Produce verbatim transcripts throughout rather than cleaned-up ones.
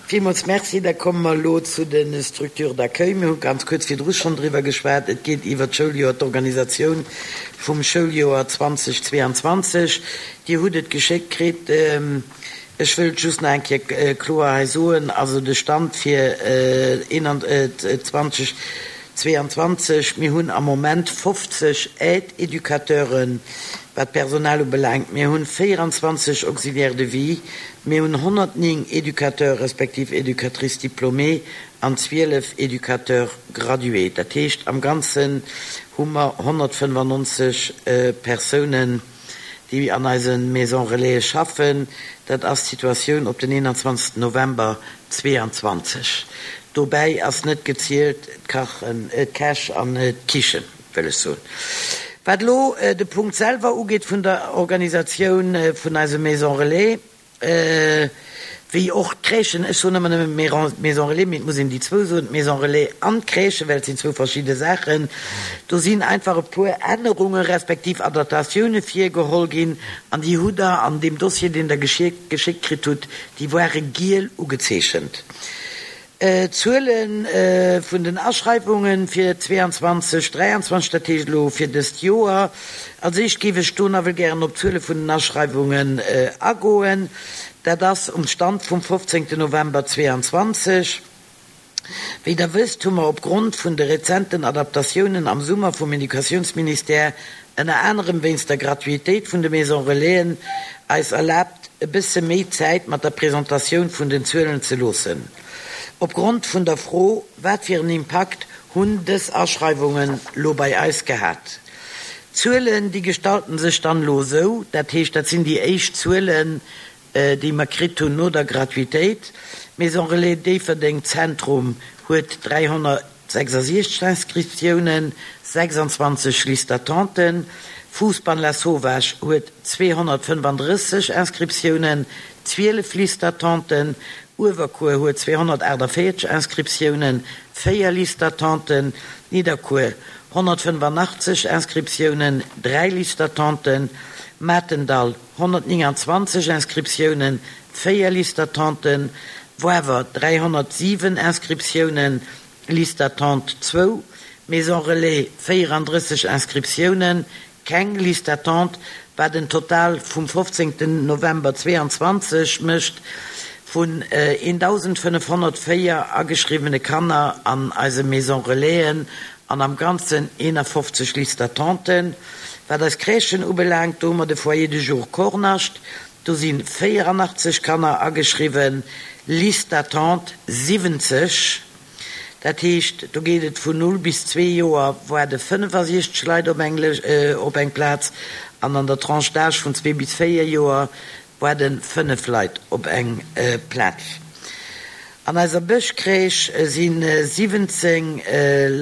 Villmools Merci. Da komme mer elo zu de Structures d'accueil. Mir hu ganz kuerz virdru schonn driwwer geschwat. Et geet iwwert d'Schouljoer, d'Organisatioun vum Schouljoer zweedausendzweianzwanzeg. Dir hutt et geschéckt kritt. Ech wëll just nach eng Kéier kloer hei soen, also de Stand fir zweedausendzweianzwanzeg, mir hunn am Moment fofzeg Aide-Educateuren, wat d'Personal ubelaangt. Mir hunn véieranzwanzeg Auxiliaires de vie, mir hunn honnertnéng Éducateurs respektiv Éducatrices diplômées an zwielef Éducateurs gradués. Dat heescht, am Ganzen hu mer honnertfënnefannonzeg Persounen, déi an eise Maison Relais schaffen. Dat ass d'Situatioun op den eenanzwanzegsten November zweeanzwanzeg. Dobäi ass net gezielt d'Kachen, d'Käch an d'Kichen, wëll ech soen. Wat elo de Punkt selwer ugeet vun der Organisatioun vun eise Maison Relais, wéi och d'Crèchen, ech soen ëmmer nëmme Maison Relais, mee et muss een déi zwou soen, d'Maison Relais an d'Crèchen, well et sinn zwou verschidde Saachen, do sinn einfach e puer Ännerunge respektiv Adaptatioune virgeholl ginn an déi hutt Der an deem Dossier, deen Der geschéckt kritt hutt, déi ware giel ugezeechent. D'Zuele vun den Aschreiwunge fir zweeanzwanzeg, dräianzwanzeg, dat heescht elo fir dëst Joer. Als éischt géif ech do nawell gären op d'Zuele vun den Aschreiwungen agoen. Dat ass um Stand vum fofzéngten November zweeanzwanzeg. Wéi Der wësst, hu mer opgrond vun de rezenten Adaptatiounen am Summer vum Educatiounsministère, ënner anerem wéinst der Gratuitéit vun de Maison Relaisen, eis erlaabt, e bësse méi Zäit mat der Presentatioun vun den Zuelen ze loossen. Opgrond vun der Fro, wat fir en Impakt hunn dës Aschreiwungen lo bei eis gehat? D'Zuelen, déi gestalten sech dann elo esou, dat heescht, dat sinn déi éischt Zuelen, déi mer kritt hunn no der Gratuitéit. D'Maison Relais Déifferdeng Zentrum huet dräihonnertsechsasiechzeg Inscriptiounen, sechsanzwanzeg Listes d'attenten. Fousbann Lasauvage huet zweehonnertfënnefandrësseg Inscriptiounen, zwielef Listes d'attenten. Uewerkuer huet zweehonnertaachtavéierzeg Inscriptiounen, véier Listes d'attenten. Nidderkuer honnertfënnefanachteg Inscriptiounen, dräi Listes d'attenten. Matendall honnertnénganzwanzeg Inscriptiounen, véier Listes d'attenten. Woawer dräihonnertsiwen Inscriptiounen, Liste d'attente zwou. Maison Relais véierandrësseg Inscriptiounen, keng Liste d'attente, wat en Total vum fofzéngten November zweeanzwanzeg mécht vun eendausendfënnefhonnertvéier ageschriwwene Kanner an eise Maison Relaisen an am Ganzen eenafofzeg Listes d'attenten. Wat eis Crèchen ubelaangt, do hu mer de Foyer de jour Kornascht, do si véieranachteg Kanner ageschriwwen, Liste d'attente siwwenzeg. Dat heescht, do geet et vun null bis zwee Joer waarde fënnefasiechzeg Leit op eng op eng Plaz an an der Tranche d'âge vun zwee bis véier Joer waarde fënnef Leit op eng Plaz. An eiser Bëschcrèche si siwwenzéng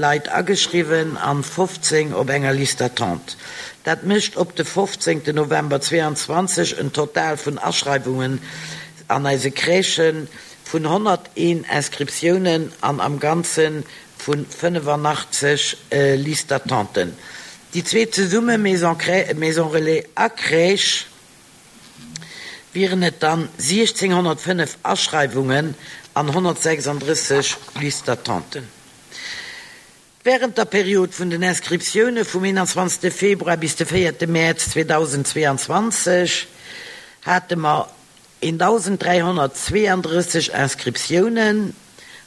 Leit ageschriwwen an fofzéng op enger Liste d'attente. Dat mécht op de fofzéngten November zweeanzwanzeg en Total vun Aschreiwungen an eise Crèchen vun honnerteen Inscriptiounen an am Ganze vu fënnefanachteg Listes d'attenten. Déi zwee zesumme, Maison Maison Relais a Crèche, wieren et dann siechzénghonnertfënnef Aschreiwungen an honnertsechsandrësseg Listes d'attenten. Wärend der Period vun den Inscriptioune vum eenanzwanzegste Februar bis de véierte Mäerz zweedausendzweeanzwanzeg hate mer eendausend dräihonnertzweeandrësseg Inscriptiounen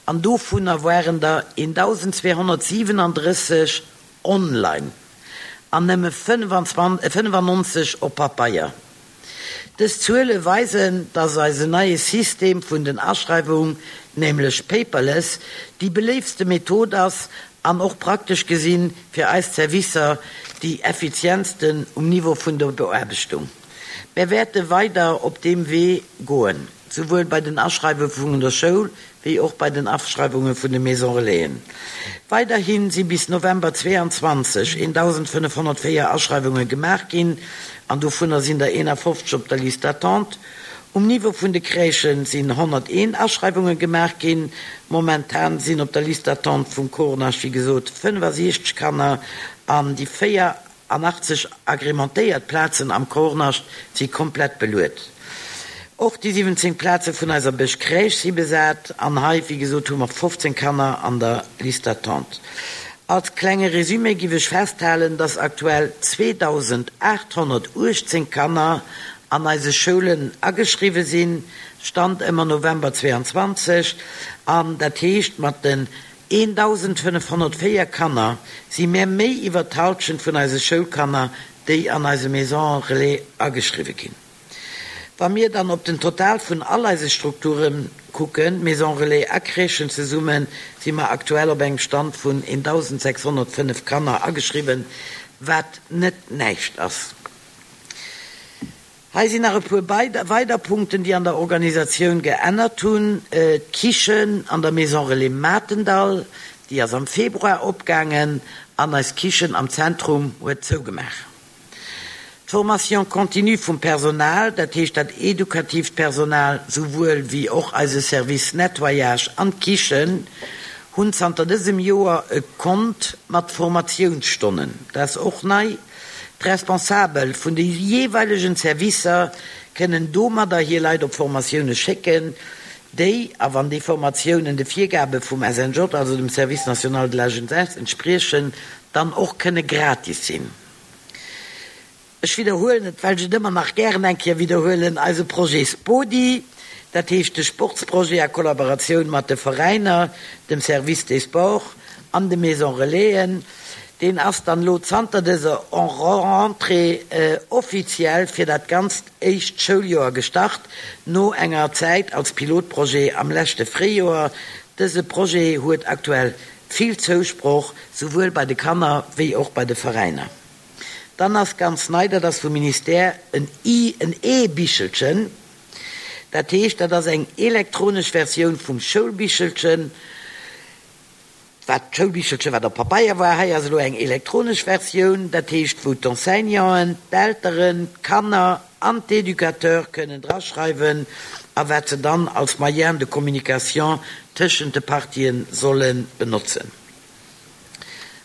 an dovunner waren der eendausend zweehonnertsiwenandrësseg online an nëmme fënnefannonzeg op Pabeier. Dës Zuele weisen, dass eisen neie System vun den Aschreiwung, nämlech paperless, déi beléiftste Method ass an och praktesch gesinn fir eis Servicer déi effizientsten um Niveau vun der Beaarbechtung. Mir wäerte weider op deem Wee goen, souwuel bei den Aschreiwunge vun der Schoul wéi och bei den Aschreiwunge vun de Maison Relaisen. Weiderhi si bis November zweeanzwanzeg eendausendfënnefhonnertvéier Aschreiwunge gemaach ginn an dovunner sinn der eenafofzeg op der Liste d'attente. Um Niveau vun de Crèchen sinn honnerteen Aschreiwunge gemaach ginn. Momentan sinn op der Liste d'attente vum Kornascht, wéi gesot, fënnefasiechzeg Kanner an déi véieranachtzeg agrementéiert Plazen am Kornascht si komplett beluet. Och déi siwwenzéng Plaze vun eiser Bësch Crèche si besat an hei, wéi gesot, hu mer fofzéng Kanner an der Liste d'attente. Als klenge Résumé giff ech festhalen, dass aktuell zweedausendaathonnertuechtzéng Kanner an eise Schoulen ageschriwwe sinn, Stand ëmmer November zweeanzwanzeg, an dat heescht, mat den eendausendfënnefhonnertvéier Kanner si mär méi iwwert d'Halschent vun eise Schoulkanner, déi an eise Maisons Relais ageschriwwe ginn. Wa mir dann op den Total vun all eise Strukture kucken, Maisons Relais a Crèchen zesummen, si mer aktuell op engem Stand vun eentausendsechshonnertfënnef Kanner ageschriwwen, wat net näischt ass. Hei sinn nach e puer weider Punkten, déi an der Organisatioun geännert hunn. D'Kichen an der Maison Relais Matendall, déi ass am Februar opgaangen an eis Kichen am Zentrum huet zougemaach. D'Formation continue vum Personal, dat heescht dat edukatiivt Personal souwuel wéi och eise Service Nettoyage an d'Kichen, hunn zanter dësem Joer e Kont mat Formatiounsstonnen. Dat ass och nei. D'Responsabel vun de jeeweilegen Servicer kënnen domadder hir Leit op Formatioune schécken, déi, a wann déi Formatiounen de Virgabe vum S N J, also dem Service national de la jeunesse, entspriechen, dann och kënne gratis sinn. Ech widderhuelen et, well ech et ëmmer nach gären eng Kéier widderhuelen, eise Projet Spodi, dat heescht de Sportsprojet a Kollaboratioun mat de Veräiner, dem Service des Sports an de Maisons Relaisen, deen ass dann elo zanter dëser Rentrée offiziell fir dat ganzt éischt Schouljoer gestart, no enger Zäit als Pilotprojet am leschte Fréijoer. Dëse Projet huet aktuell vill Zousproch, souwuel bei de Kanner wéi och bei de Veräiner. Dann ass ganz nei, dat ass vum Ministère en en E-Bichelchen. Dat heescht, dat ass eng elektronesch Versioun vum Schoulbichelchen, wat d'Schoulbichelchen, wat op Pabeier war. Hei ass elo eng elektronesch Versioun, dat heescht, wou d'Enseignanten, d'Elteren, d'Kanner an d'Educateure kënnen draschreiwen a wat se dann als Moyen de communication tëschent de Partien solle benotzen.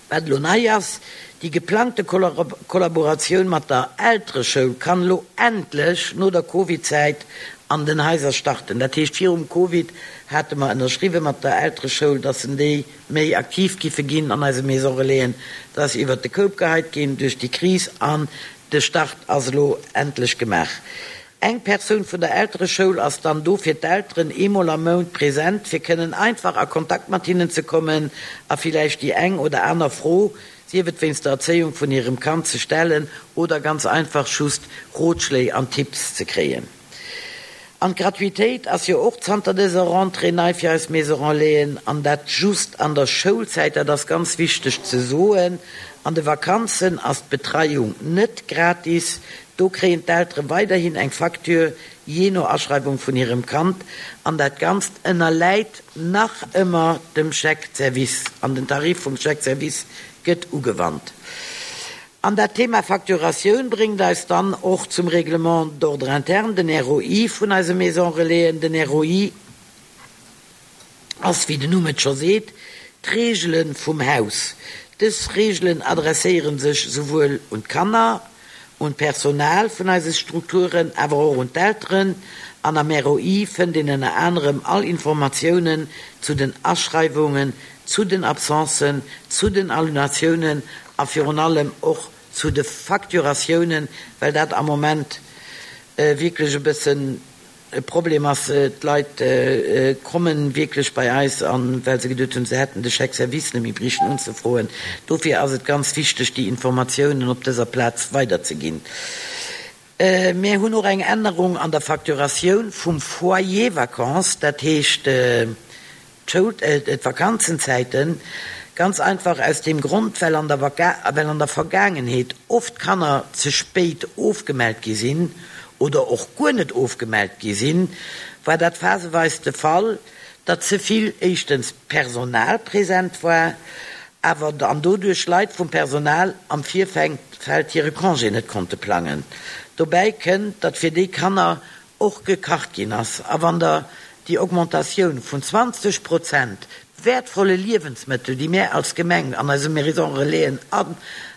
Wat elo nei ass, déi geplangte Kollaboratioun mat der Eltereschoul kann elo endlech no der Covid-Zäit an den Haiser starten. Dat heescht, virum Covid hate mer ënnerschriwwe mat der Eltereschoul, dass en déi méi aktiv giffe ginn an eise Maison Relaisen. Dat ass iwwert de Koup geheit ginn duerch déi Kris an de Start ass elo endlech gemaach. Eng Persoun vun der Eltereschoul ass dann do fir d'Elteren eemol am Mount present, fir kënnen einfach a Kontakt mat hinnen ze kommen a villäicht déi eng oder aner Fro, sief et wéinst der Erzéiung vun hirem Kand, ze stellen oder ganz einfach just Rotschléi an Tipps ze kréien. An d'Gratuitéit ass jo och zanter dëser Rentrée nei fir eis Maison Relaisen, an dat just an der Schoulzäit, dat ass ganz wichteg ze soen. An de Vakanzen ass d'Betreiung net gratis, do kréien d'Eltere weiderhin eng Facture, jee no Aschreiwung vun hirem Kand, an dat Ganzt ënnerläit nach ëmmer dem Chèque service, an den Tarif vum Chèque service gëtt ugewannt. An dat Thema Facturatioun bréngt eis dann och zum Règlement d'ordre interne, den R O I vun eise Maison Relaisen. Den R O I ass, wéi den Numm et scho seet, d'Reegele vum Haus. Dës Reegelen adresséiere sech souwuel un d'Kanner, un d'Personal vun eise Strukturen, awer och un d'Elteren. An am R O I fënnt een ënner anerem all Informatiounen zu den Aschreiwungen, zu den Absencen, zu den Annulatiounen a virun allem och zu de Facturatiounen, well dat am Moment wierklech e bëssen e Problem ass. D'Leit komme wierklech bei eis an, well se geduet hunn, se hätten de Chèque service net méi brichen unzefroen. Dofir ass et ganz wichteg, déi Informatiounen op dëser Plaz weiderzeginn. Mir hunn och eng Ännerung an der Facturatioun vum Foyer vacances, dat heescht d'Schoul, d'Vakanzenzäiten, ganz einfach aus deem Grond, well an der well an der Vergaangenheet oft Kanner ze spéit ofgemellt gi sinn oder och guer net ofgemellt gi sinn, war dat phaseweis de Fall, datt ze vill éischtens Personal present war, awer an doduerch Leit vum Personal am Virfeld hire Congé net konnte plangen. Dobäi kënnt, datt fir déi Kanner och gekacht ginn ass. A wann Der déi Augmentatioun vun zwanzeg Prozent wäertvolle Liewensmëttel, déi mär als Gemeng an eise Maison Relaisen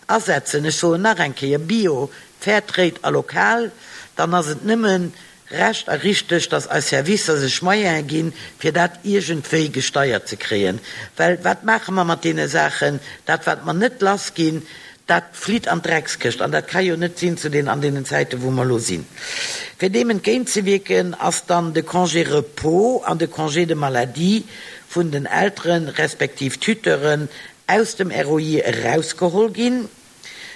asetzen, ech soen nach eng Kéier, bio, fairtrade a lokal, dann ass et nëmme recht a richteg, dass eis Servicer sech Moyene ginn, fir dat iergendwéi gesteiert ze kréien. Well wat maache mer mat deene Saachen? Dat, wat mer net lassginn, dat flitt an d'Dreckskëscht. An dat ka jo net sinn zu den, an deenen Zäiten, wou mer elo sinn. Fir deem entgéintzewierken, ass dann de Congé repos an de Congé de maladie vun den Elteren respektiv Tuteuren aus dem R O I erausgeholl ginn.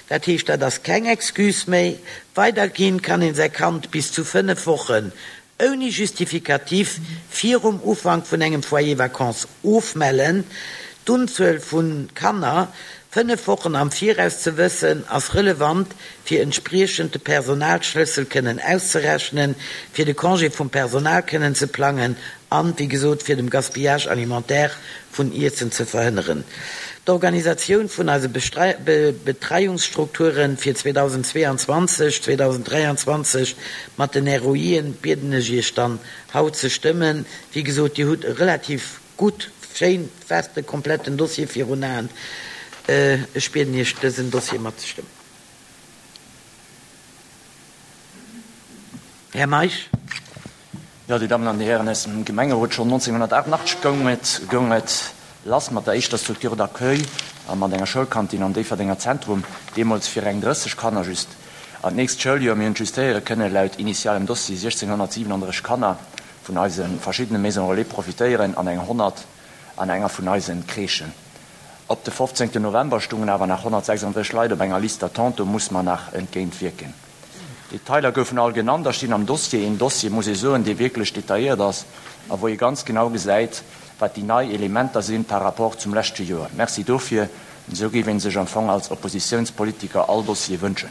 Dat heescht, dat ass keng Excuse méi. Weiderginn kann een säi Kand bis zu fënnef Wochen ouni Justificatif virum Ufank vun engem Foyer vacances ofmellen. D'Unzuel vu Kanner fënnef Wochen am Viraus ze wëssen, ass relevant, fir entspriechend de Personalschlëssel kënnen auszerechnen, fir de Congé vum Personal kënnen ze plangen an, wéi gesot, fir dem Gaspillage alimentaire vun Iessen ze verhënneren. D'Organisatioun vun eise Betreiungsstrukturen fir zweedausendzweeanzwanzeg, zweedausenddräianzwanzeg mat den R O Ien bieden ech Iech dann haut ze stëmmen. Wéi gesot, Dir hutt e relativ gutt, schéin, feste, kompletten Dossier virun Aen. Ech bieden Iech, dësen Dossier matzestëmmen. Här Meisch. Jo, Dir Dammen an Dir Hären aus dem Gemengerot, schonn neunzehnhundertachtundachtzeg goung et, goung et lass mat der éischter Structure d'accueil a mat enger Schoulkantin am Déifferdenger Zentrum, deemools fir eng drësseg Kanner just. An d'nächst Schouljoer, mir hunn justéiere kënne laut initialem Dossier sechzehnhundertsiebenunddreißig Kanner vun eise verschiddene Maison Relais profitéieren an eng honnert an enger vun eisen Crèchen. Op de fofzéngten November stungen awer nach honnertsechsunddreißig Leit op enger Liste d'attente, do muss man nach entgéintwierken. Detailer goufen all genannt, da stinn am Dossier, een Dossier, muss ee soen, dee wierklech detailliert ass a wou ee ganz genau gesäit, wat déi nei Elementer sinn par rapport zum leschte Joer. Merci dofir, esou géif een sech am Fong als Oppositionspolitiker all Dossier wënschen.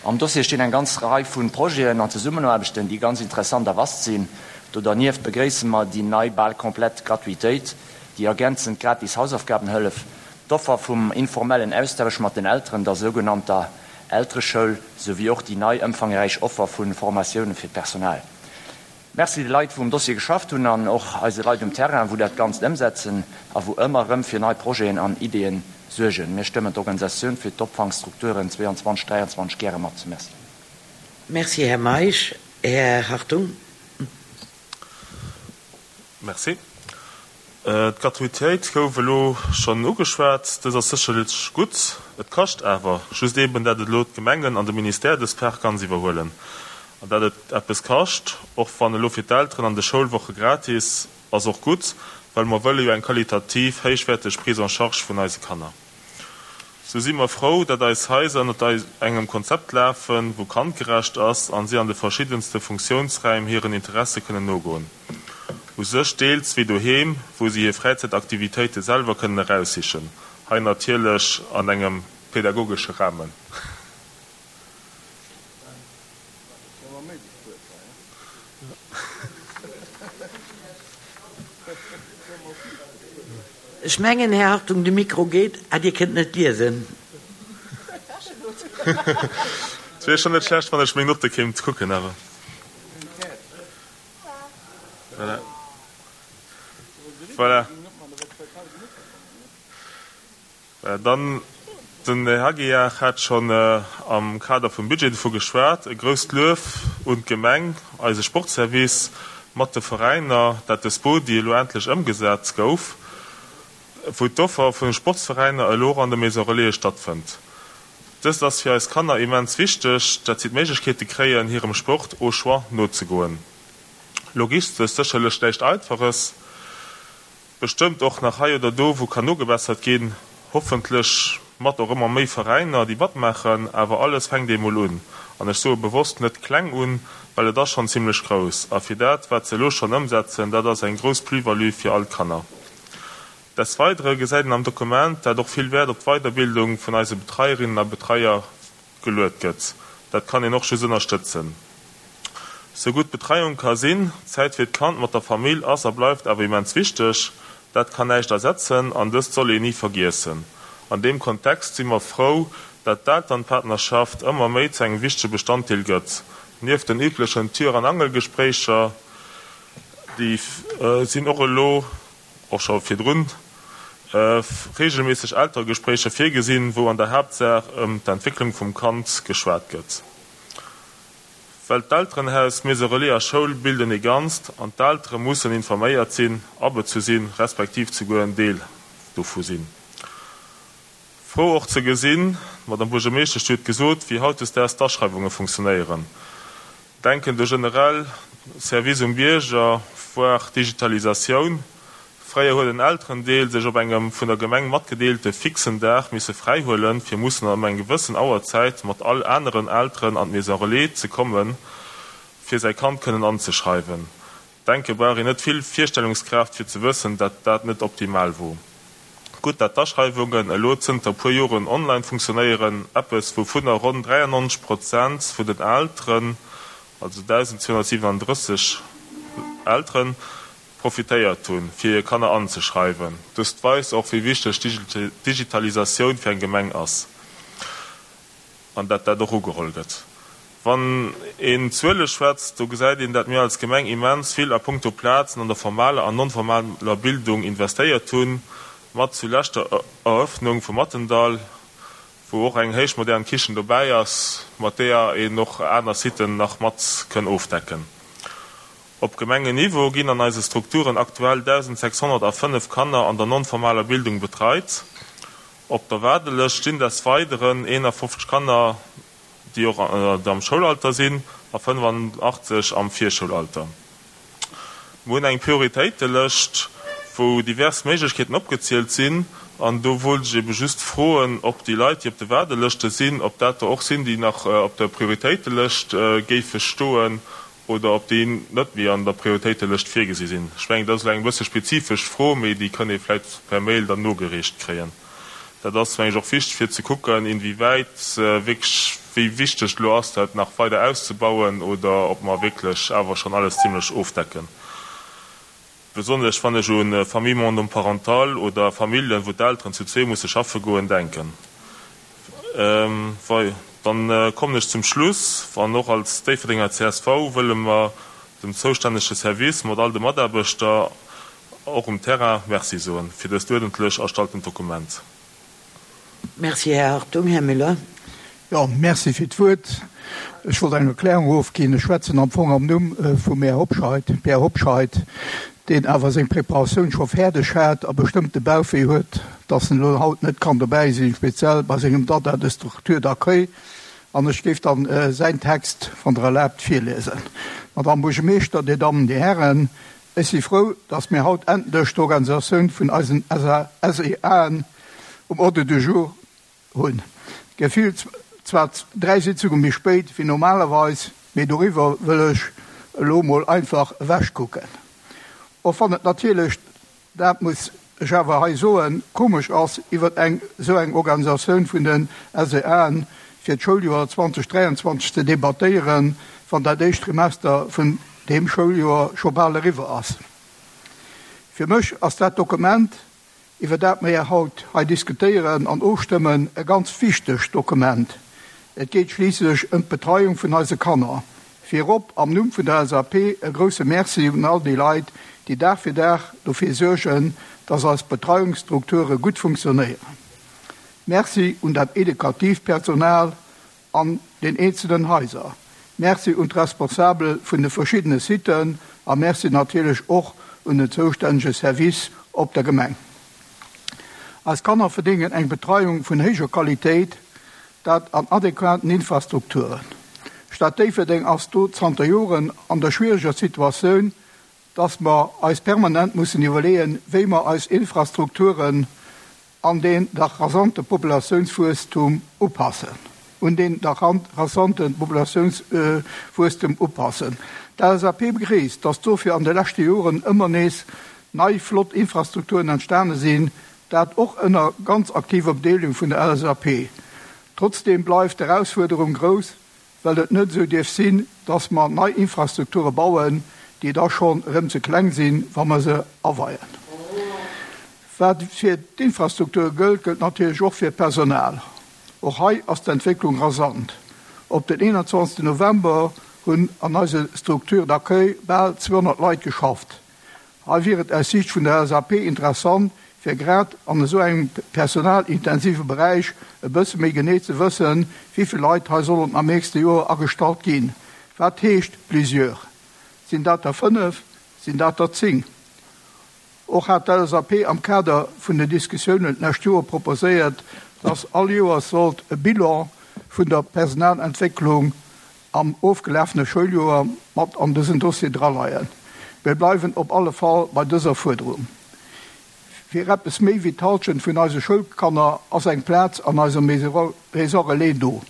Am Dossier stinn eng ganz Rei vun Projeten an Zesummenaarbechten, déi ganz interessant a vast sinn. Do dernieft begréisse mer déi nei bal komplett Gratuitéit, déi ergänzend gratis Hausaufgabenhëllef, d'Offer vum informellen Austausch mat den Elteren, der sogenannter Eltereschoul, sowie och déi nei ëmfangräich Offer vun Formatioune fir d'Personal. Merci de Leit, wou um Dossier geschafft hunn an och eise Leit um Terrain, wou dat Ganzt ëmsetzen a wou ëmmer rëm fir nei Projeten an Ideen suergen. Mir stëmmen d'Organisatioun fir d'Opfangstrukturen zweiundzwanzeg, dräiundzwanzeg gäre mat. Merci. Merci, Här Meisch. Här Hartung. Merci. D'Gratuitéit gouf elo schonn ugeschwat. Dës ass sécherlech gutt. Et kascht awer just eben, dat et elo d'Gemengen an de Ministère dës Par ganz iwwerhuelen. An dat et eppes kascht, och wann elo fir d'Elteren an de Schoulwoche gratis, ass och gutt, well mer wëlle jo eng qualitativ héichwäerteg Prise en charge vun eise Kanner. So si mer frou, dat eis Haiser ënner engem Konzept lafen, wou kandgerecht ass an si an de verschiddenste Funktionsräim hiren Interesse kënnen nogoen. U sech deels wéi doheem, wou si hir Fräizäitaktivitéite selwer kënnen eraussichen. Hei natierlech an engem pädagogesche Rahmen. Ech mengen, Här Hartung, de Mikro geet, ah, Dir kënnt net liesen. Et wier schon net schlecht, wann ech meng Note kéint kucken, awer. Voilà. Voilà. Voilà. Dann den Här Hagiar hat schon, äh, am Kader vum Budget dovu geschwat, e grousst Luef un d'Gemeng, eise Sportservice mat de Veräiner, dat de Spodi elo endlech ëmgesat gouf, wou d'Offer vun de Sportsveräiner elo an der Maison Relais stattfënnt. Dëst ass fir eis Kanner immens wichteg, dat si d'Méiglechkeete kréien, hirem Sport au choix nozegoen. Logistesch sécherlech näischt Einfaches, bestëmmt och nach hei oder do, wou kann nogebessert ginn, hoffentlech mat och ëmmer méi Veräiner, déi matmaachen, awer alles fänkt eemol un. An ech soe bewosst net kleng un, well et ass schonn zimmlech grouss. A fir dat, wat se elo schonn ëmsetzen, dat ass eng grouss Plus-value fir all Kanner. Des Weidere gesäit een am Dokument, dat och vill Wäert op d'Weiterbildung vun eise Betreierinnen a Betreier geluet gëtt. Dat kann een och just ënnerstëtzen. Sou gutt Betreiung ka sinn, Zäit fir d'Kand mat der Famill ass a bleift awer immens wichteg. Dat kann näischt ersetzen an dëst soll een nie vergiessen. An deem Kontext si mer frou, dat d'Elternpartnerschaft ëmmer méi zu engem wichtege Bestanddeel gëtt. Nieft den üblechen Tür- an Angelgespréicher, déi, äh, sinn och elo, och scho virdrun, äh, regelmäßig Elterngespréicher virgesinn, wou an der Haaptsaach ëm d'Entwécklung vum Kand geschwat gëtt. Well d'Elterenhaus, Maison relais a Schoul bilden ee Ganzt an d'Eltere mussen informéiert sinn, abezu sinn, respektiv souguer en Deel dovu sinn. Frou och ze gesinn, d'Madame Buergermeeschtesch huet gesot, wéi hautdesdaags d'Aschreiwunge funktionéieren. Denken do generell Service um Bierger, voire Digitalisatioun. Fréier huet en Elterendeel sech op engem vun der Gemeng matgedeelte fixen Dag misse fräihuelen, fir mussen ëm eng gewëssen Auerzäit mat all aneren Elteren an d'Maison relais ze kommen, fir säi Kand kënnen anzeschreiwen. Denke brauch een net vill Virstellungskraaft fir ze wëssen, dat dat net optimal wor. Gutt, dat d'Aschreiwungen elo zënter puer Joren online funktionéieren, eppes wouvunner ronn dräiannonzeg Prozent vun den Elteren, also dausendzweehonnertsiwenanddrësseg Elteren, profitéiert hunn, fir hir Kanner anzeschreiwen. Dëst weist och, wéi wichteg d'Digitalisatioun fir eng Gemeng ass an dat dat och ugeholl gëtt. Wann een Zuele schwätzt, do gesäit een, dat mir als Gemeng immens vill a punkto Plazen an der formaler an non-formaler Bildung investéiert hunn, mat zulescht der Eröffnung vum Mattendall, wou och eng héichmodern Kichen dobäi ass, mat deeër een och aner Siten nach mat kënn ofdecken. Op Gemengenniveau ginn an eise Strukturen aktuell dausendsechshonnertafënnef Kanner an der non-formaler Bildung betreit. Op der Waardelëscht stinn des Weideren eenafofzeg Kanner, déi och am Schoulalter sinn, a fënnefantachtzeg am Virschoulalter. Mir hunn eng Prioritéitelëscht, wou divers Méiglechkeeten opgezielt sinn, an do wollt ech ebe just froen, ob déi Leit, déi op de Waardelëschte sinn, ob dat der och sinn, déi nach op der Prioritéitelëscht géife stoen oder ob déi net méi an der Prioritéitelëscht virgesi sinn. Ech mengen, dat ass elo eng e bësse spezifesch Fro, mee déi kënn ee vläicht per Mail dann nogereecht kréien. Dat ass, meng ech, och wichteg, fir ze kucken, inwiewäit wierklech, wéi wichteg et elo ass, dat nach weider auszebauen oder ob mer wierklech awer schonn alles zimlech ofdecken. Besonnesch wann ech u Famille monoparentale oder Familljen, wou d'Elteren zu zwee musse schaffe goen, denken. Wei, dann kommen ech zum Schluss. An och als Déifferdenger C S V wëlle mer dem zoustännege Service mat all de Mataarbechter och um Terrain Merci soen fir dëst uerdentlech erstalltent Dokument. Merci, Här Hartung. Här Müller. Jo, merci fir d'Wuert. Ech wollt eng Erklärung ofginn. Ech schwätzen am Fong am Numm vum Här Hobscheit, Pierre Hobscheit, deen awer seng Preparatioun scho fäerdeg hat a bestëmmte Bauchwéi huet, dass en elo haut net kann dobäi sinn, speziell bei sengem Dada de structure d'accueil. An ech géif dann säin Text, wann Der erlaabt, virliesen. Madame Buergermeeschter, Dir Dammen, Dir Hären, ech si frou, dass mir haut endlech d'Organisatioun vun eisen S E Aen um Ordre du jour hunn. Gefillt zwar dräi Sitzunge méi spéit wéi normalerweis, mee doriwwer wëll ech elo mol einfach ewechkucken. Och wann et natierlech, dat muss ech awer hei soen, komesch ass, iwwer eng esou eng Organisatioun vun den S E Aen fir d'Schouljoer zweedausenddräianzwanzeg ze debattéieren, wann dat éischt Trimester vun deem Schouljoer scho bal eriwwer ass. Fir mech ass dat Dokument, iwwer dat mir haut hei diskutéieren an ofstëmmen, e ganz wichtegt Dokument. Et geet schliisslech ëm d'Betreiung vun eise Kanner. Virop am Numm vun der L S A P e grousse Merci un all déi Leit, déi Dag fir Dag dofir suergen, dass eis Betreiungsstrukture gutt funktionéieren. Merci un dat edukatiivt Personal an den eenzelnen Haiser. Merci un d'Responsabel vun de verschiddene Siten a Merci natierlech och un den zoustännege Service op der Gemeng. Eis Kanner verdéngen eng Betreiung vun héijer Qualitéit, dat an adequaten Infrastrukturen. D'Stad Déifferdeng ass do zanter Joren an der schwiereger Situatioun, dass mer eis permanent mussen iwwerleeën, wéi mer eis Infrastrukturen an deen dach rasante Populatiounswuesstum upassen, un deen dach rasante Populatiounswuesstum upassen. D'L S A P begréisst, dass dofir an de leschte Joren ëmmer nees nei flott Infrastrukturen entstane sinn, dat och ënner ganz aktiver Bedeelegung vun der L S A P. Trotzdeem bleift d'Erausfuerderung grouss, well et net esou dierf sinn, dass mer nei Infrastrukture bauen, déi da schonn erëm ze kleng sinn, wa mer se aweien. Wat fir d'Infrastruktur gëllt, gëllt natierlech och fir d'Personal. Och hei ass d'Entwécklung rasant. Op den eenanzwanzegsten November hunn an eise Structures d'accueil bal zweehonnert Leit geschafft. Hei wier et aus Siicht vun der L S A P interessant, fir grad an esou engem personalintensive Beräich e bësse méi genee ze wëssen, wéi vill Leit hei sollen am nächste Joer agestallt ginn. Wat heescht plusieurs? Sinn dat der fënnef? Sinn dat der zéng? Och hat d'LSAP am Kader vun den Diskussiounen d'lescht Joer proposéiert, dass all Joers sollt e Bilan vun der Personalentwécklung am ofgelafene Schouljoer mat an dësen Dossier draleien. Mir bleiwen op alle Fall bei dëser Fuerderung. Fir eppes méi wéi d'Hallschent vun eise Schoulkanner ass eng Plaz an eiser Maison relais do.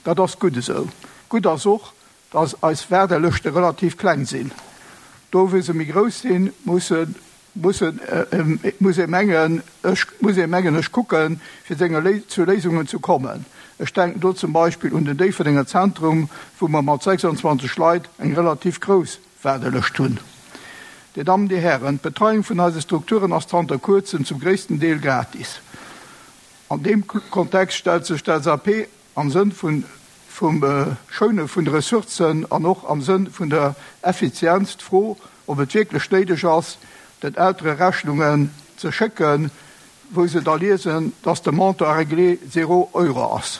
Dat ass gutt esou. Gutt ass och, dass eis Waardelëschte relativ kleng sinn. Do wou se méi grouss sinn, musse mussen muss ee mengen ech muss ee mengen ech kucken, fir senge zu Léisungen ze kommen. Ech denken do zum Beispill un den Déifferdenger Zentrum, wou mer mat sechsundzwanzeg Leit eng relativ grouss Waardelëscht hunn. Dir Dammen, Dir Hären, d'Betreiung vun eise Strukturen ass zanter kuerzem zum gréissten Deel gratis. An deem Kontext stellt sech d'LSAP am Sënn vun vum Schoune vun de Ressourcen an och am Sënn vun der Effizienz d'Fro, ob et wierklech néideg ass, den Eltere Rechnungen ze schécken, wou se da liesen, dass de Montant à régler zéro Euro ass.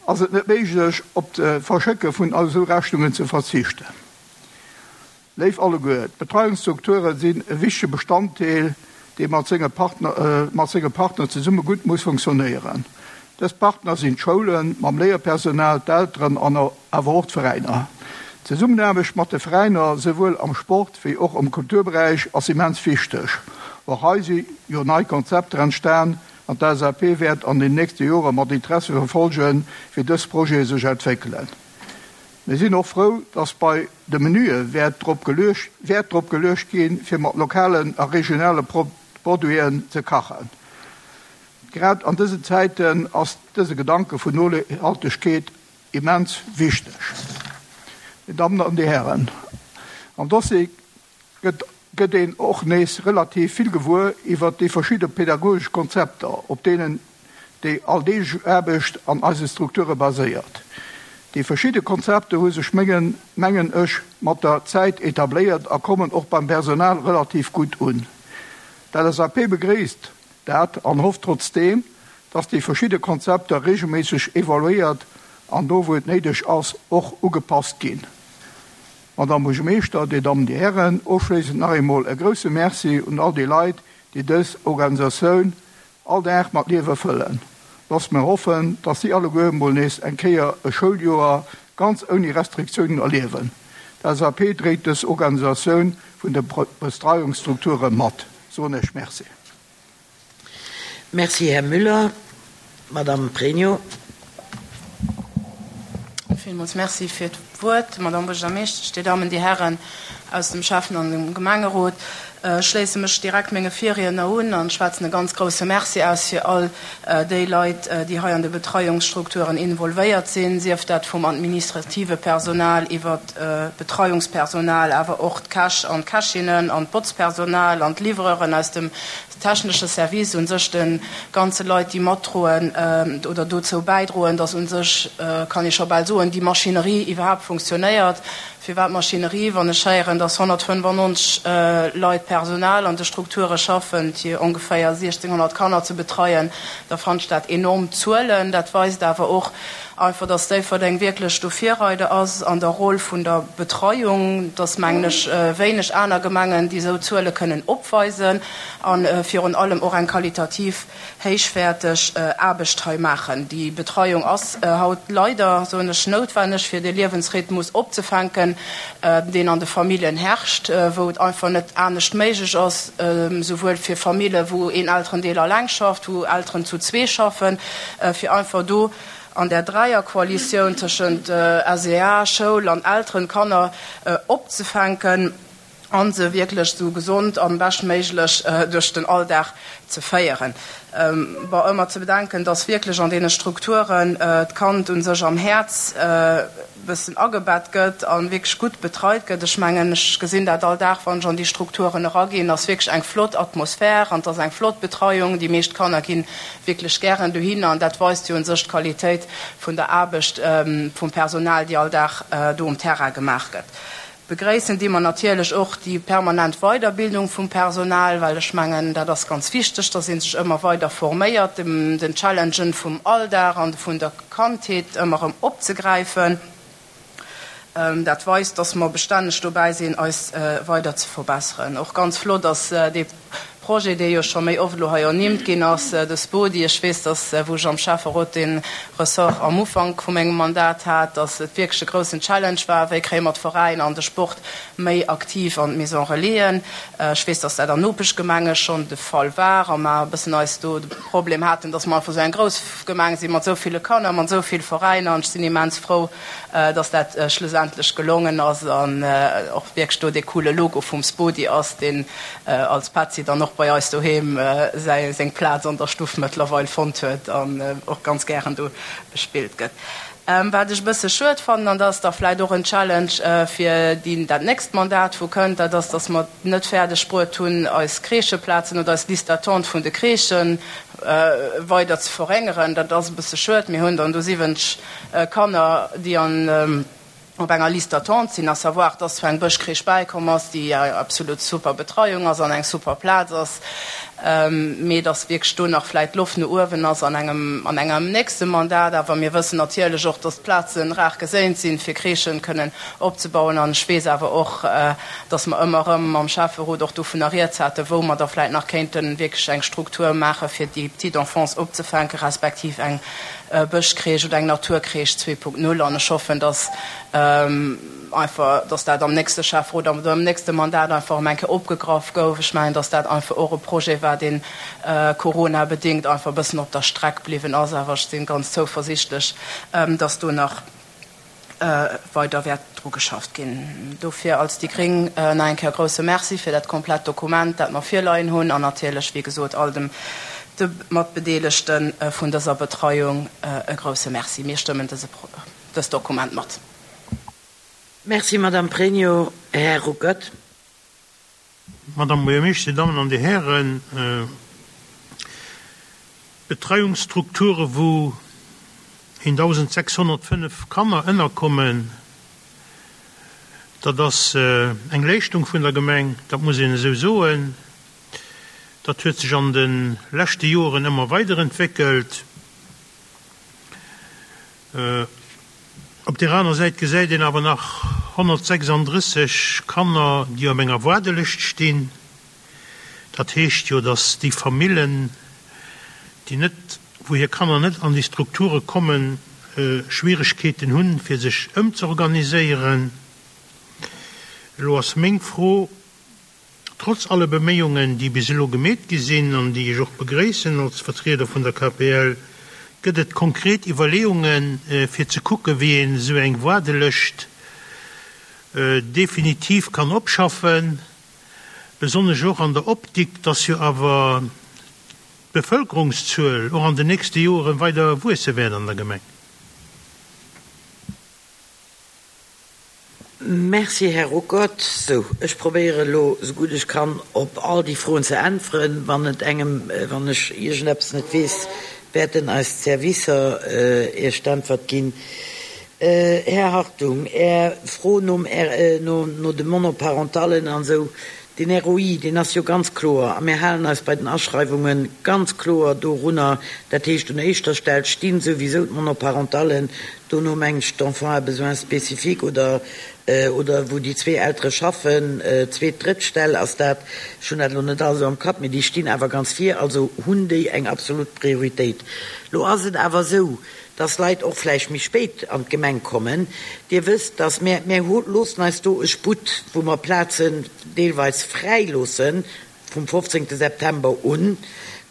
Ass et net méiglech, op d'Verschécke vun esou Rechnungen ze verzichten? Léif alleguer, d'Betreiungsstrukture sinn e wichtege Bestanddeel, dee mat senge Partner, mat senge Partner zesumme gutt muss funktionéieren. Dës Partner sinn d'Schoulen mam Léierpersonal, d'Elteren an awer och d'Veräiner. D'Zesummenaarbecht mat de Veräiner, souwuel am Sport wéi och am Kulturberäich, ass immens wichteg. Och hei si jo nei Konzepter entstan an d'LSAP wäert an den nächste Jore mat Interesse verfolgen, wéi dës Projete sech entwéckelen. Mir sinn och frou, dass bei de Menüe Wäert drop geluecht Wäert drop geluecht ginn, fir mat lokalen a regionale Produiten ze kachen. Grad an dësen Zäiten ass dëse Gedanke vun Nohaltegkeet immens wichteg. Dir Dammen an Dir Hären, am Dossier gëtt gëtt een och nees relativ vill gewuer iwwert déi verschidde pedagogesch Konzepter, op deenen déi alldeeglech Aarbecht an eise Strukture baséiert. Déi verschidde Konzepter hu sech mengen mengen ech mat der Zäit etabléiert a kommen och beim Personal relativ gutt un. D'LSAP begréisst dat an hofft trotzdeem, dass déi verschidde Konzepter reegelméisseg evaluéiert an do wou et néideg ass och ugepasst ginn. Madame Buergermeeschter, Dir Dammen, Dir Hären, ofschléissend nach eemol e grousse Merci un all déi Leit, déi dës Organisatioun all Dag mat Liewe fëllen. Loosst mer hoffen, dass si alleguer mol nees eng Kéier e Schouljoer ganz ouni Restriktiounen erliewen. D'LSAP dréit dës Organisatioun vun de Bestreiungsstrukture mat. Soen ech Merci. Merci, Här Müller. Madame Pregno. Villmools Merci fir d'Wuert, Madame Buergermeeschtesch, Dir Dammen, Dir Hären aus dem Schäffen an dem Gemengerot. Ech schléisse mech direkt menge Virriedner un an schwätzen e ganz grouse Merci aus fir all déi Leit, déi hei an de Betreiungsstrukturen involvéiert sinn, sief dat vum administrative Personal iwwert d'Betreiungspersonal, awer och d'Käch an d'Kächinnen an d'Botzpersonal an d'Livreuren aus dem technesche Service, u sech de ganze Leit, déi matdroen oder dozou bäidroen, dass u sech, kann ee scho bal soen, déi Maschinerie iwwerhaapt funktionéiert. Firwat Maschinerie, wann ech héieren, dass honnertfënnefannonzeg Leit Personal an de Strukture schaffen, fir ongeféier siechzehnhonnert Kanner ze betreien, da fannen ech dat enorm Zuelen. Dat weist awer och einfach, dass Déifferdeng wierklech do Virreider ass an der Roll vun der Betreiung. Et ass, mengen ech, wéineg aner Gemengen, déi esou Zuele kënnen opweisen a virun allem och eng qualitativ héichwäerteg Aarbecht hei maachen. Déi Betreiung ass haut leider, soen ech, noutwenneg, fir de Liewensrhythmus opzefänken, deen an de Familljen herrscht, wou et einfach net anescht méiglech ass, souwuel fir Famille wou een Elterendeel alleng schafft, wou Elteren zu zwee schaffen, fir einfach do an där Dräierkoalitioun tëschent S E A, Schoul an Elteren, Kanner opzefänken a se wierklech esou gesond an beschtméiglech duerch den Alldag ze féieren. Bon, ëmmer ze bedenken, dass wierklech an deene Strukturen d'Kand u sech am Häerz e bëssen agebett gëtt a wierklech gutt betreit gëtt. Ech mengen, ech gesinn dat all Dag, wann ech an déi Strukturen eraginn, ass wierklech eng flott Atmosphär an et ass eng flott Betreiung. Déi meescht Kanner gi wierklech gären dohinner an dat weist jo u sech d'Qualitéit vun der Aarbecht vum Personal, déi all Dag do um Terrain gemaach gëtt. Begréissen di mer natierlech och déi permanent Weiderbildung vum Personal, well ech mengen, dat ass ganz wichteg, dass ee sech ëmmer weider forméiert, den Challengen vum Alldag an vun der Kandheet ëmmer erëm opzegräifen. Dat weist, dass mer bestänneg dobäi sinn, eis weider ze verbesseren. Och ganz flott ass dee Projet, dee jo scho méi oft elo hei ernimmt ginn ass, de Spodi. Ech weess, dass, wou ech am Schäfferot dee Ressort am Ufank vu mengem Mandat hat, dass et wierklech e groussen Challenge war, wéi kréie mer d'Veräiner an de Sport méi aktiv an d'Maison Relaisen. Ech weess, dass dat an Nopeschgemenge schonn de Fall war a mer e bëssen eis do de Problem haten, dass mer einfach esou eng grouss Gemeng si mat esou ville Kanner, mat esou vill Veräiner. An ech sinn immens frou, dass dat schlussendlech gelongen ass an och wierklech do dee coole Logo vum Spodi ass, deen als Petzi dann och bei eis doheem säi seng Plaz an der Stuff mëttlerweil fonnt huet an och ganz gären do gespillt gëtt. Wat ech e bësse schued fannen, an dat ass da vläicht och en Challenge fir déi dat nächst Mandat wou kënnt, dat ass, datt mer net fäerdeg bruet hunn eis Crècheplazen oder eis Liste d'attente vun de Crèchen weider ze verréngeren. Dat ass e bësse schued. Mir hunn dann do siwwenzeg Kanner, déi an op enger Liste d'attente sinn, à savoir, dass zwar eng Bëschcrèche bäikomm ass, déi eng absolut super Betreiung ass an eng super Plaz ass, mee dass wierklech do nach vläicht Loft no uewen ass an engem, an engem nächste Mandat. Awer mir wëssen natierlech och, dass d'Plaze rar geséint sinn, fir Crèchen kënnen opzebauen. An ech weess awer och, dass mer ëmmer erëm mam Schäfferot och dovunner rieds haten, wou mer da vläicht nach kéinte wierklech eng Struktur maache fir déi Petite Enfance opzefänken, respektiv eng Bëschcrèche oder eng Naturcrèche zwee Punkt null. An ech hoffen, dass einfach, dass dat am nächste Schäfferot oder am nächste Mandat einfach erëm eng Kéier opgegraff gouf. Ech mengen, dass dat einfach och e Projet war, deen coronabedéngt einfach e bëssen op der Streck bliwwen ass. Awer ech si ganz zouversichtlech, dass do nach weider wäert dru geschafft ginn. Dofir als déi gréng nach eng Kéier e grouse Merci fir dat komplett Dokument, dat mer virleien hunn, an natierlech, wéi gesot, all dem de Matbedeelegte vun dëser Betreiung e grouse Merci. Mir stëmmen dëse dëst Dokument mat. Merci, Madame Pregno. Här Ruckert. Madame Buergermeeschter, Dir Dammen an Dir Hären, Betreiungsstrukture wou eentausendsechshonnertfënnef Kanner ënnerkommen, dat ass eng Leeschtung vun der Gemeng, dat muss een esou soen. Dat huet sech an de leschte Joren ëmmer weiderentwéckelt. Op där aner Säit gesäit een awer nach honnertsechsandrësseg Kanner, déi op enger Waardelëscht stinn. Dat heescht jo, datt déi Famillen, déi net, wou hir Kanner net an déi Strukture kommen, Schwieregkeeten hunn, fir sech ëmzeorganiséieren. Elo ass meng Fro, Trotz alle Beméiungen, déi bis elo gemeet gi sinn an déi ech och begréissen als Vertrieder vun der K P L, gëtt et konkret Iwwerleeungen, fir ze kucken, wéi een esou eng Waardelëscht definitiv kann opschaffen, besonnesch och an der Optik, dass jo awer d'Bevëlkerungszuel och an den nächste Joren weider wuesse wäert an der Gemeng? Merci, Här Ruckert. Sou, ech probéiere elo, esou gutt ech kann, op all déi Froen ze äntweren. Wann et engem, wann ech iergendeppes net weess, wäerten eis d'Servicer Iech d'Äntwert ginn. Här Hartung, Är Fro nom, no, no de Monoparentallen an esou, den R O I, deen ass jo ganz kloer, a mir halen eis bei den Aschreiwunge ganz kloer dorunner, dat heescht, un éischter Stell sti souwisou d'Monoparentallen, dono mengen ech d'Enfants à besoins spécifiques oder, oder wou déi zwee Eltere schaffen, zweet, drëtt Stell ass dat, ech hunn dat elo net alles am Kapp, mee déi stinn awer ganz vir, also hunn déi eng absolut Prioritéit. Lo ass et awer esou, dass Leit och vläicht méi spéit an d'Gemeng kommen. Dir wësst, dass mir, mir loossen eis do e Sputt, wou mer Plazen deelweis fräi loossen vum fofzéngte September un,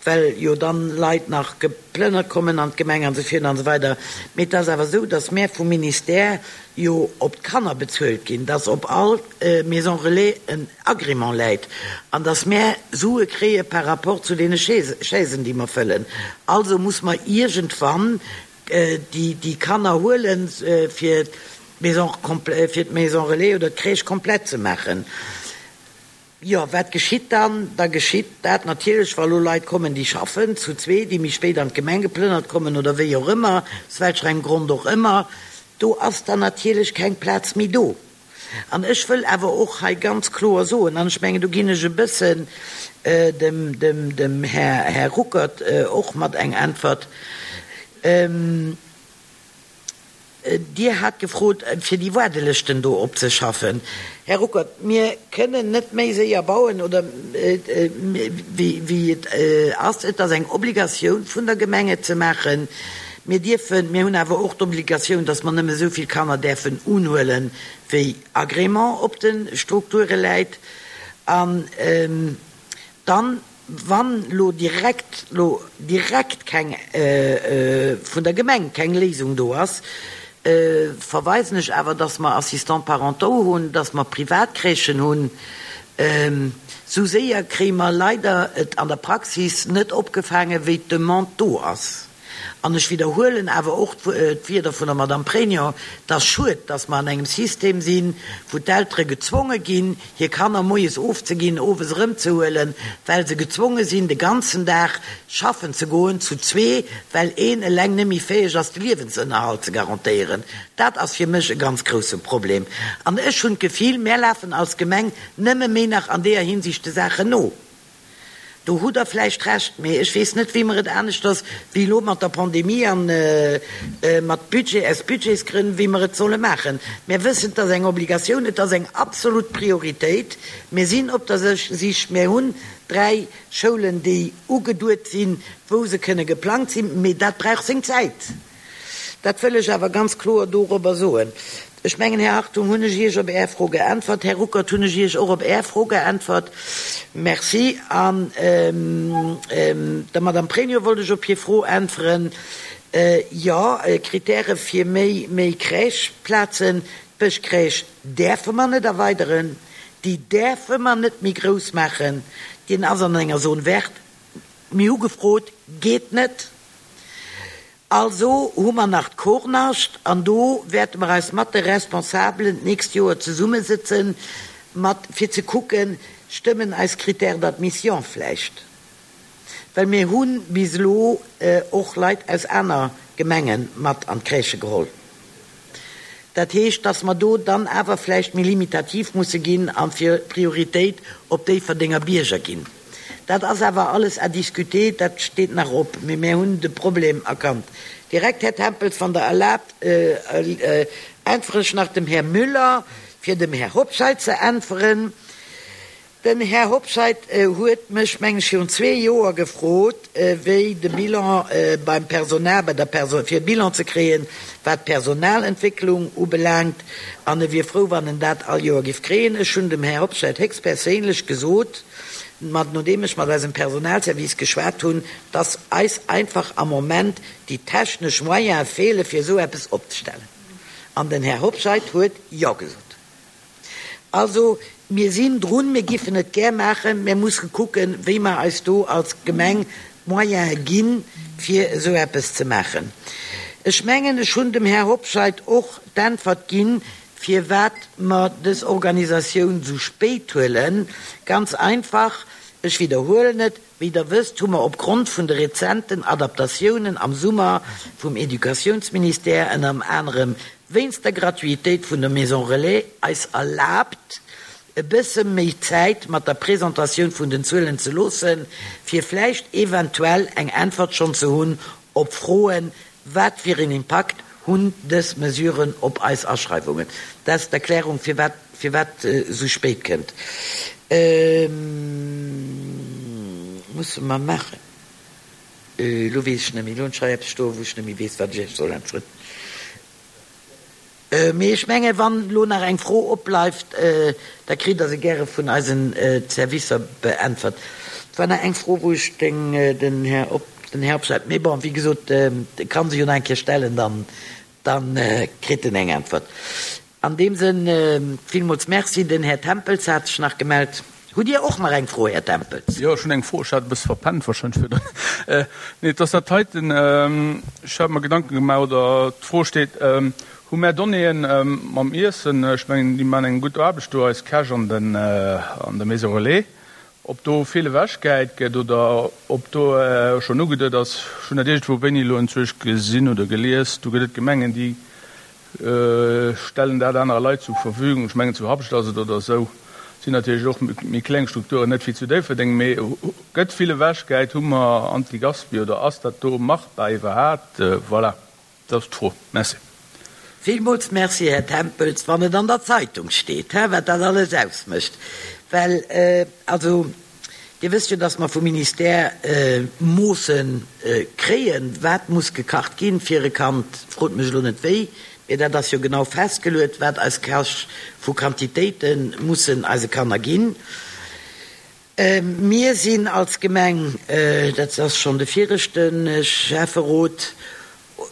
well jo dann Leit nach geplënnert kommen an d'Gemeng an esou virun an esou weider. Mee et ass awer esou, dass mär vum Ministère jo op d'Kanner bezuelt ginn, dass op all Maison relais en Agrément läit an dass mär Sue kréie par rapport zu deene Chaisen, déi mer fëllen. Also muss mer iergendwann déi déi Kanner huelen, fir d'Maison, fir d'Maison relais oder d'Crèche komplett ze maachen. Jo, wat geschitt dann? Da geschitt dat natierlech, wa lo Leit kommen, déi schaffen, zu zwee, déi méi spéit an d'Gemeng geplënnert kommen oder wéi och ëmmer, aus welcher engem Grond och ëmmer, do ass dann natierlech keng Plaz méi do. An ech wëll awer och hei ganz kloer soen, an ech mengen, do ginn ech e bëssen dem, dem, dem Här, Här Ruckert och mat eng Äntwert, Dir hat gefrot, fir déi Waardelëschten do opzeschaffen. Här Ruckert, mir kënnen net méi séier bauen oder wéi et ass. Et ass eng Obligatioun vun der Gemeng, et ze maachen. Mir dierfen, mir hunn awer och d'Obligatioun, dass mer nëmme esou vill Kanner däerfen unhuelen, wéi Agrément op de Strukture läit. An dann, wann elo direkt, elo direkt keng, vun der Gemeng keng Léisung do ass, verweisen ech awer, dass mer Assistants parentaux hunn, dass mer Privatcrèchen hunn. Esou séier kréie mer leider et an der Praxis net opgefaangen, wéi d'Demande do ass. An ech widderhuelen awer och d'Wierder vun der Madame Pregno, Et ass schued, dass mer an engem System sinn, wou d'Eltere gezwonge ginn, hir Kanner moies ofzeginn, owes erëmzehuelen, well se gezwonge sinn, de ganzen Dag schaffen ze goen, zu zwee, well een eleng net méi fäeg ass, de Liewensënnerhalt ze garantéieren. Dat ass fir mech e ganz grousse Problem. An ech hunn d'Gefill, mär lafen als Gemeng nëmme méi nach an deeër Hinsicht de Saachen no. Do hutt Der vläicht Recht, mee ech weess net, wéi mer et aneschters wéi elo mat der Pandemie a mat Budget, aus Budgetsgrënn, wéi mer et solle maachen. Mir wëssen, et ass eng Obligatioun, et ass eng absolut Prioritéit. Mir sinn op der Sich, mir hunn dräi Schoulen, déi ugeduet sinn, wou se kënne geplangt sinn, mee dat brauch seng Zäit. Dat wëll ech awer ganz kloer dorobber soen. Ech mengen, Här Hartung, hunn ech Iech op Är Fro geäntwert. Här Ruckert, hunn ech Iech och op Är Fro geäntwert. Merci. An der Madame Pregno wollt ech op hir Fro äntweren. Jo, Kritäre fir méi, méi Crècheplazen. D'Bëschcrèche däerfe mer net erweideren. Déi däerfe mer net méi grouss maachen. Deen ass an enger Zone verte. Mir hu gefrot, geet net. Also hu mer nach d'Kornascht an do wäerte mer eis mat de Responsabelen d'nächst Joer zesummesëtzen, mat fir ze kucken, stëmmen eis Critères d'admission vläicht, well mir hu bis elo och Leit aus aner Gemenge mat an d'Crèche geholl. Dat heescht, dass mer do dann awer vläicht méi limitativ musse ginn a fir Prioritéit op Déifferdenger Bierger ginn. Dat ass awer alles à discuter, dat steet nach op, mee mir hunn de Problem erkannt. Direkt, Här Tempels, wann Der erlaabt, äntwere ech nach dem Här Müller, fir dem Här Hobscheit ze äntweren. Den Här Hobscheit huet mech, meng ech, virun zwee Joer gefrot, wéi de Bilan beim Personal, bei der Perso-, fir e Bilan ze kréien, wat d'Personalentwécklung ubelaangt, an e wier frou, wann en dat all Joer géif kréien. Ech hunn dem Här Hobscheit héchstperséinlech gesot, mat, nodeem ech mat eisem Personalservice geschwat hunn, dass eis einfach am Moment déi technesch Moyene feele fir esou eppes opzestellen. An den Här Hobscheit huet Jo gesot. Also, mir sinn drun, mir giffen et gär maachen, mir musse kucken, wéi mer eis do als Gemeng d'Moyene ginn, fir esou eppes ze maachen. Ech mengen, ech hunn dem Här Hobscheit och d'Äntwert ginn, firwat mer dës Organisatioun esou spéit huelen. Ganz einfach, ech widderhuelen et, Wéi Der wësst, hu mer opgrond vun de rezenten Adaptatiounen am Summer vum Educatiounsministère, ënner anerem wéinst der Gratuitéit vun der Maison Relais, eis erlaabt, e bësse méi Zäit mat der Presentatioun vun den Zuelen ze loossen, fir vläicht eventuell eng Äntwert schonn ze hunn op Froen, Wat fir een Impakt hunn dës Mesuren op eis Aschreiwungen? Dat ass d'Erklärung, firwat firwat esou spéit kënnt. Musse mer maachen. Elo weess ech net méi. Elo hunn ech hei eppes stoen, wou ech net méi weess, wat ech Iech soll äntweren. Mee ech mengen, wann elo nach eng Fro opbleift, da kritt Der se gäre vun eisen Servicer beäntwert. Et war nach eng Fro, wou ech den Här den Här Obscheit, mee bon, wéi gesot, e ka se jo nach eng Kéier stellen, dann, dann kritt en eng Äntwert. An deem Sënn villmools Merci. Den Här Tempels hat sech nach gemellt. Hutt Dir och nach eng Fro, Här Tempels? Jo, ech hunn eng Fro. Ech hat e bësse verpennt wahrscheinlech virdrun. Nee, et ass dat heiten. Ech hat mer Gedanken gemaach, oder d'Fro steet, Hu mär Donnéeën mam Iessen, ech mengen, déi maachen eng gutt Aarbecht do, eis Käch an den, an der Maison Relais, ob do vill ewechgehäit gëtt oder ob do schonn ugeduet ass. Ech hunn dat iergendwou wéini elo enzwousch gesinn oder gelies, do gëtt et Gemengen, déi stellen dat anere Leit zur Verfügung, ech mengen zu Habscht ass et oder esou, sinn natierlech och méi kleng Strukturen, net wéi zu Déifferdeng, mee gëtt vill ewechgehäit, hu mer Antigaspi oder ass dat do machbar iwwerhaat? Voilà, dat ass d'Fro. Merci. Villmools Merci, Här Tempels, wann et an der Zeitung steet, hä, wat dat alles ausmécht. Well, also, Dir wësst jo, dass mer vum Ministère Moosse kréien, wat muss gekacht ginn fir e Kand, frot mech elo net wéi, mee dat ass jo genau festgeluet, wat eis Käch vu Quantitéite mussen eise Kanner ginn. Mir sinn als Gemeng, dat ass schonn de viregte Schäfferot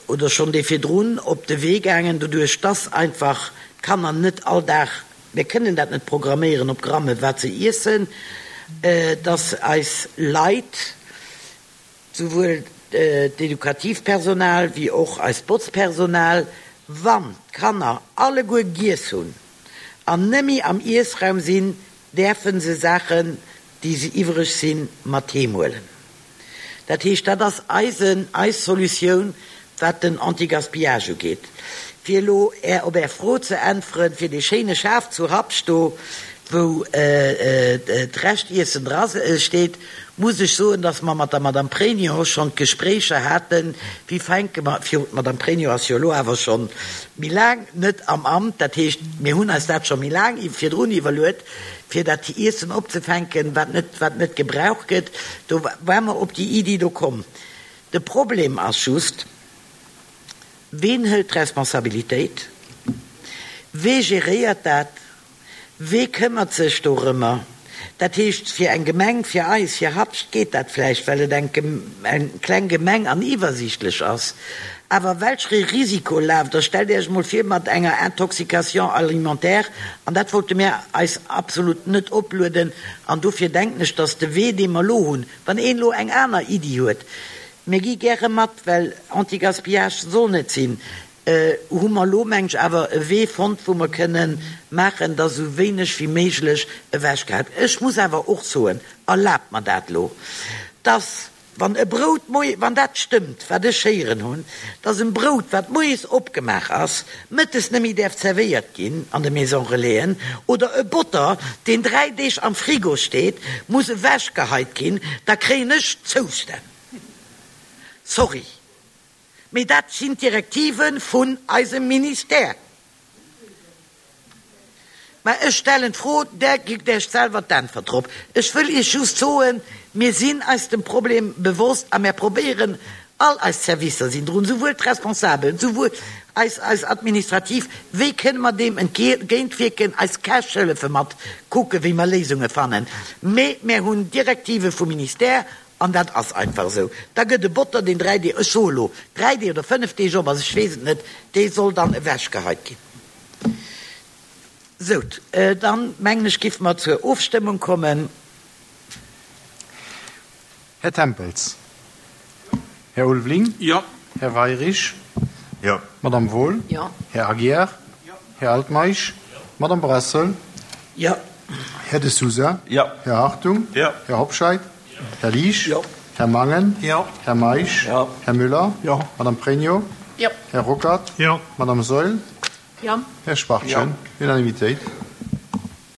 oder schonn dee virdrun, op de Wee gaangen, doduerch dass einfach d'Kanner net all Dag, mir kënnen dat net programméieren op Gramme wat se iessen, dass eis Leit, souwuel d'edukativ Personal wéi och eist Botzpersonal, wann d'Kanner alleguer giess hunn an nëmme am Iessraum sinn, däerfe se Saachen, déi se iwwreg sinn, mat heem huelen. Dat heescht, dat ass eisen, eis Solutioun, wat den Anti-Gaspillage ugeet. Fir elo Är, op Är Fro ze äntweren, fir dee schéine Schaf zu Habscht do, wou d'Reschtiessen dra steet, muss ech soen, dass mer mat der Madame Pregno schonn d'Gespréicher haten, wéi fänke mer, virun, d'Madame Pregno ass jo elo awer scho méi laang net am Amt, dat heescht, mir hunn eis dat scho méi laang virdrun iwwerluet, fir dat Iessen opzefänken, wat net, wat net gebraucht gëtt. Do ware mer op déi Iddi do komm. De Problem ass just, Ween hëlt d'Responsabilitéit? Wee geréiert dat? Wee këmmert sech dorëmmer? Dat heescht, fir eng Gemeng, fir eis, fir Habscht geet dat vläicht, well et eng kleng Gemeng an iwwersiichtlech ass. Awer welchere Risiko laaft Der? Stellt Iech emol vir, mat enger Intoxication alimentaire, an dat wollte mär eis absolut net oplueden. An dofir denken ech, dass de Wee, dee mer elo hunn, wann een elo eng aner Iddi huet, Mir gi gäre mat, well Anti-Gaspillage soll net sinn, hu mer elo, meng ech, awer e Wee fonnt, wou mer kënnen maachen, dass esou wéineg wéi méiglech ewechgehat. Ech muss awer och soen, erlaabt mer dat elo, dass, wann e Brout moie, wann dat stëmmt, wat ech héieren hunn, dass en Brout, wat moies opgemaach ass, mëttes net méi däerf zerwéiert ginn an de Maison-relaisen, oder e Botter, deen dräi Deeg am Frigo steet, muss ewechgeheit ginn, da kréien ech Zoustänn. Sorry, mee dat sinn d'Direktive vun eisem Ministère. Mä ech stellen d'Fro, där gitt Iech selwer d'Äntwert drop. Ech wëll Iech just soen, mir sinn eis dem Problem bewosst a mär probéieren, all eis Servicer sinn drun, souwuel d'Responsabel, souwuel eis, eis Administrativ, wéi kënne mer deem entgéintwierken, eis Käch hëllefe mat kucken, wéi mer Léisunge fannen. Mee mär hunn Direktive vum Ministère An dat ass einfach esou. Da gëtt e Botter, deen dräi Deeg, ech soe lo dräi Deeg oder fënnef Deeg op ass, ech weess et net, dee soll dann ewechgeheit ginn. Sou, dann, mengen ech, géife mer zur Ofstëmmung kommen. Här Tempels. Här Ulveling. Jo. Här Weirich. Jo. Madame Wohl. Jo. Här Aguiar. Jo. Här Altmeisch. Jo. Madame Brassel. Jo. Här De Sousa. Jo. Här Hartung. Jo. Här Hobscheit. Här Liesch. Jo. Här Mangen. Jo. Här Meisch. Jo. Här Müller. Jo. Madame Pregno. Jo. Här Ruckert. Jo. Madame Saeul. Jo. Här Schwachtgen. Jo. Unanimitéit.